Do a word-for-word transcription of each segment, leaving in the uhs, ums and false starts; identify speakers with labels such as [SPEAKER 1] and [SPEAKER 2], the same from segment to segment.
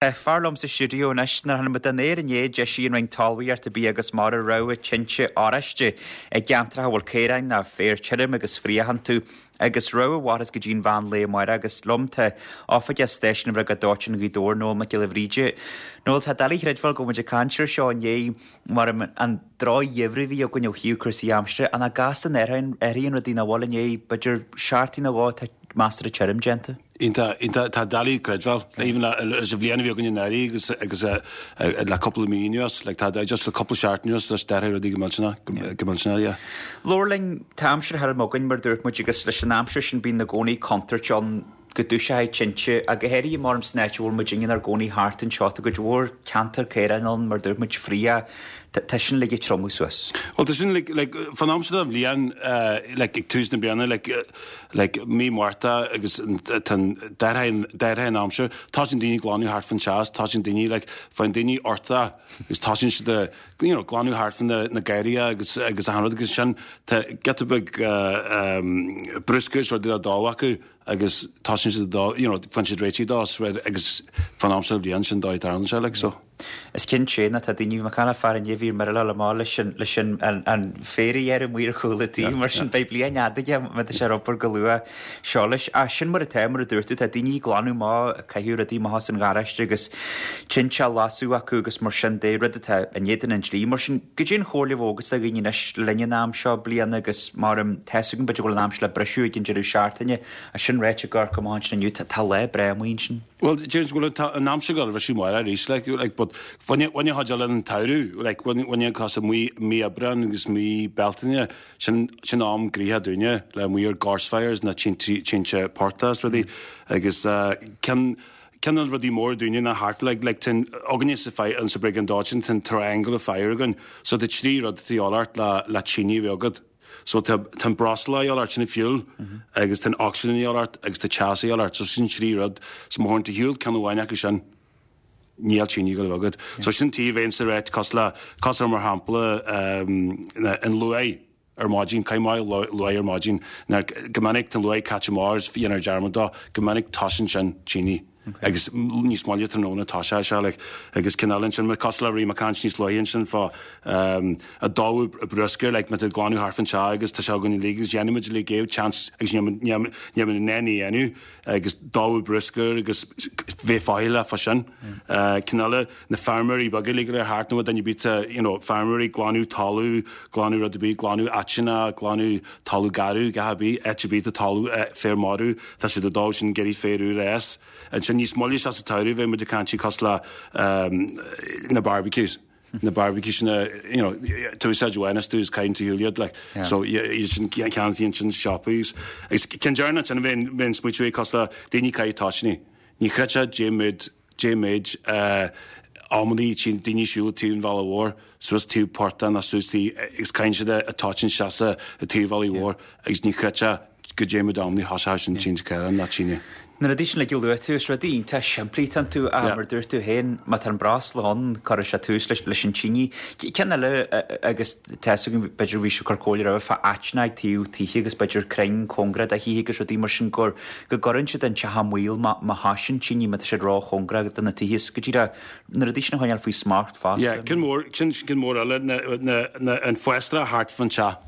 [SPEAKER 1] Fear liom sa stiúideo anois nuair a tháinig muid den aer inné d'eisigh an Roinn Talmhaíochta Bia agus Mara rabhadh tinte oráiste i gceantracha a bhfuil caoráin ná féar tirim agus fraoch iontu agus rabhadh a mhairfeas go dtí an mheán lae amárach agus liom tá oifigeach stáisiún na mBriogáid Dóiteáin Ghaoth Dobhair Noel Mac Giolla Bhríde. Noel tá doiligh a chreidbheáil go bhfuil muid ag caint air seo inné mar an drochgheimhreadh a bhí againn ó thaobh cúrsaí aimsire an gasta athraíonn rudaí nach bhfuil inné b'fhéidir seachtain nó dhó tá measartha tirim déanta.
[SPEAKER 2] Iontach iontach tá doiligh creidbheáil even leis an bhliain a bhí againn anuraidh agus agus le cúpla mí anuas like tá just le cúpla seachtain anuas leis d'athraigh rudaí go millteanach go millteanach yeah.
[SPEAKER 1] Labhair linn tá aimsir thirim againn mar dúirt muid agus leis an aimsir sin bíonn i gcónaí contúirt ann go dtoiseoidh tinte ach go háirithe mar san áit a bhfuil muid inár gcónaí thart anseo tá cuid mhór ceantar caoráin ann mar dúirt muid fraoch tá sin le triomú suas.
[SPEAKER 2] Well tá sin like like fan aimsir den bhliain like ag tús na bliana like like mí Márta agus d'athraigh an aimsir tosaíonn daoine glanadh thart fan teach tosaíonn daoine like faigheann daoine uchtach agus tosaíonn siad a you know glanadh thart fan na na garraithe agus agus achan rud agus sin tá giota beag bruscar is rudaí le dó acu agus tosaíonn siad dó you know faigheann siad réitigh dó agus fan aimsir den bhliain sin dóigh tarlaíonn sé like so.
[SPEAKER 1] Is cinnte ná tá daoine mar chan fear inné bhí mar le má leis sin leis sin an an féar a ghearradh amuigh ar chúl an tí mar sin beidh bliain fhada aige má tá sé ar obair go luath seo leis. Ach sin mar atá mar a dúirt tú tá daoine ag glanadh amach ag caitheamh rudaí amach as an gharáiste agus tinte á lasadh acu agus mar sin de rud atá in éadan an dlí mar sin goidé an chomhairle a bheadh agat do dhaoine anois le linn an am seo bliana agus mar tá 'fhios agam b'fhéidir go bhfuil an aimsir le briseadh ag an deireadh seachtaine a sin ráite ag amharc amach ansin inniu tá lá breá amuigh ansin.
[SPEAKER 2] Well deir go bhfuil an aimsir go bhfuil sí mar arís like like but bhaine bhaine chuid eile an tsamhradh like bhaine bhaine cos mí mí Aibreán agus mí Bealtaine sin sin am gnoitheach dúinne le amuigh ar gorse fires na tinte tinte portaigh is rudaí agus uh, ceann ceann de na rudaí mór dúinne na thart like like tá againne sa fire an sa briogáid dóiteáin tá triangle of fire againn so tá trí rud de dhíth ort le le tine a bheith agat. So tá tá an breosla de dhíth ort sin fuel agus tá oxygen de dhíth ort agus tá teas de dhíth ort so sin trí rud so má théann ar shiúl ceann amháin acu sin níl tine go agat. So sin tí bhéon sa réit cos le cos mar shampla um, an luaith ar maidin caithfidh luaith ar maidin go minic tá luaith caite amach dhéanar dearmad dó go minic tosaíonn sin tine. Agus níos moille tráthnóna tá sé sé like, agus cineál sin cos le rí caint níos luaithe sin fá um, a dó bruscar like, met glanadh thart fan teach agus tá sé gan lí agus déanaimid le géh chance agus ní na dhéanamh agus dó bruscar agus bheith fáile fa sin. Uh, Cineál na feirmeoirí beaga le ar thart nó duine bit you know, feirmeoirí glanadh talamh, glanadh rud bí, glanadh áiteanna, glanadh talamh garraí, gach bí, áit bí tá talamh féar marbh, tá siad a dó sin géirí féar úr es. An sin níos moille sa tsamhradh bheidh muid ag caint cos le um, na barbecues. na barbecues na you know tú úsáid bhaineas tú is caiint thuliad like yeah. so sin cean sin siopaí agus ceann deireanach sin bheinn bheinn smaoitiú cos le daoine caitheamh toitíní ní chreidfeá dé méid dé méid uh, amannaí tchíonn daoine siúl taobh an bhealaigh mhóir suas taobh portach ná suas tí agus caitheann siad a toitín seasa i taobh bhealaigh mhóir agus ní chreidfeá go dé méid amannaí thosaigh sin tinte caorán ná tine.
[SPEAKER 1] Na rudaí sin le luaigh tú is rudaí iontach simplí tá tú a mar dúirt tú féin má tá an breosla ann cuirfidh sé tús leis leis an tine. Ceann eile agus tá b'fhéidir bhí sé cur comhairle roimhe fá áiteanna ag taobh tithe agus b'fhéidir crainn cóngarach do thithe agus rudaí mar sin gur go gcuireann siad an teach i mbaol má má thosaíonn tine má tá siad róchóngarach do na tithe is go díreach na rudaí sin a choinneáil faoi smacht fosta.
[SPEAKER 2] Yeah, ceann mór sin ceann mór eile na, na, na, an fásra thart fan teach.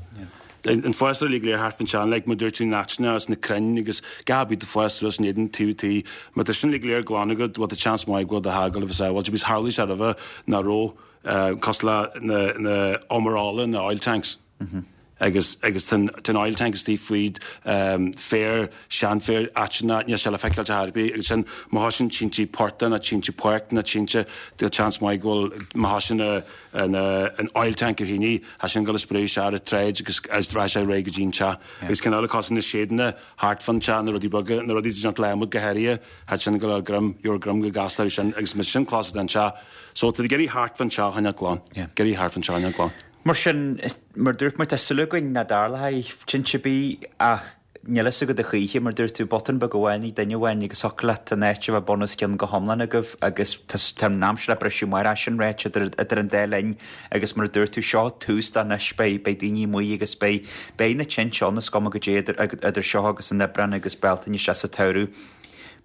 [SPEAKER 2] An fásra le léir thart fan teach like má dúirt tú na áiteanna agus na crainn agus gach bí de fás suas in éadan taobh tí má tá sin le léir glan agat bhfuil tá chance maith go bhfuil do theach a bheith sábháilte bis tharlaigh sé roimhe ná raibh uh, cos le na, na omarála na oil tanks. Mm -hmm. agus agus ten ten oil tank is tí faoid um, féar seanfhéar áiteanna níl sé le feiceáil ar bith agus sin má thosaíonn tinte portaigh na tinte páirc na tinte tá chance maith go bhfuil má thosaíonn an an oil tank ar thine tá sin go spréigh sé ar tráid agus as dra sé ré go dtí an teach agus ceann eile cos na séideanna thart fan teach na rudaí beaga na rudaí déanta le adhmad go háirithe tá sin go greim your greim go gasta sin agus mis sin clos den teach so tá iarraidh thart fan teach a glan iarraidh thart fan teach glan.
[SPEAKER 1] Mar sin mar dúirt muid tá súil againn nach dtarlóidh tinte ar bith ach níl fhios agat a choíche mar dúirt tú botún beag amháin ag duine amháin agus thiocfadh leat an áit a bheith bun os cionn go hiomlán agaibh agus tá an aimsir le briseadh mar sin ráite idir idir an dá linn agus mar a dúirt tú seo tús de anois beidh beidh daoine amuigh agus beidh beidh na tinte ann is cuma goidé idir idir seo agus an Aibreán agus Bealtaine sé sa tsamhradh.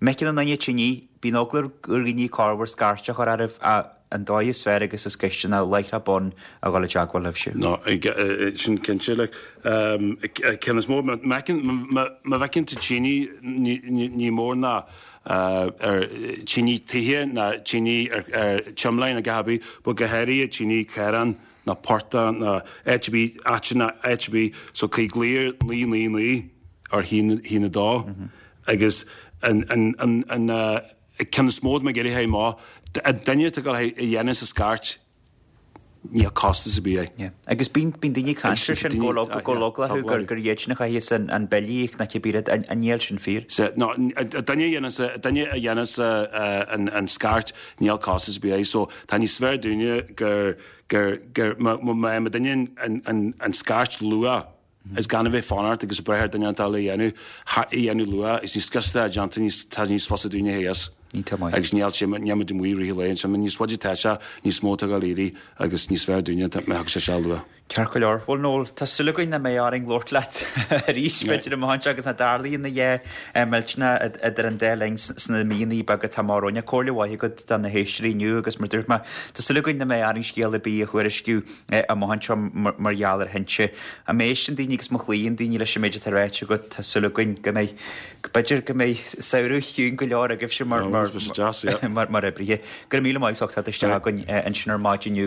[SPEAKER 1] Meiceann an duine tine Bíonn eagla ar dhaoine corruair scairt a chur oraibh ach an dóigh is fearr agus is gaiste ná láithreach bonn a dhul i dteagmháil libhse.
[SPEAKER 2] No, sin cinnte, like, ceann is mó, má bhfeiceann tú tine ní mór ná ar tine tithe ná tine ar tsimléin ag a bith, but go háirithe tine caorán ná portach ná áit ar bith, áiteanna áit ar bith, so caithfidh glaoch ar naoi naoi naoi ar haon haon a dó agus an an an an ceann is mó atá mé ag iarraidh a thabhairt amach, an duine atá ag dul a dhéanamh sa scairt, níl costas ar bith air.
[SPEAKER 1] Yeah. Agus bíonn bíonn daoine ag caint air sin go bhfuil go bhfuil eagla orthu gur gur iad sin a chaithfeas an an bille a íoc nó cibé rud an an níl sin fíor.
[SPEAKER 2] Sea, no, an duine a dhéanas an duine a dhéanas an an scairt níl costas ar bith air. So tá níos fearr dúinne gur gur gur má má má duine an an an scairt luath is gan a bheith fanacht agus breith ar duine atá le dhéanamh a dhéanamh luath is níos gasta atá déanta níos tá níos fusa dúinne thíos.
[SPEAKER 1] Iontach maith.
[SPEAKER 2] Agus níl sé níl muid amuigh i rith an lae ansin níos faide atá sé níos mó atá ag dul éirí agus níos fearr dúinne má thagann sé seo luath.
[SPEAKER 1] Ceart go leor. Bhuel Noel, tá súil againn nach mbeidh orainn labhairt leat arís b'fhéidir amach anseo agus nach dtarlaíonn a dhath millteanach idir an dá linn sna míonna beaga atá amach romhainn. Comhairle mhaith agat do na héisteoirí inniu agus mar dúirt mé, tá súil againn nach mbeidh orainn scéal ar bith a thuairisciú amach anseo mar gheall ar thinte. Má éisteann daoine agus má chloíonn daoine leis an méid atá ráite agat, tá súil againn go mbeidh, b'fhéidir go mbeidh samhradh chiúin go leor agaibhse mar mar mar oibrithe. Go raibh míle maith as ucht teacht isteach againn ansin ar maidin inniu.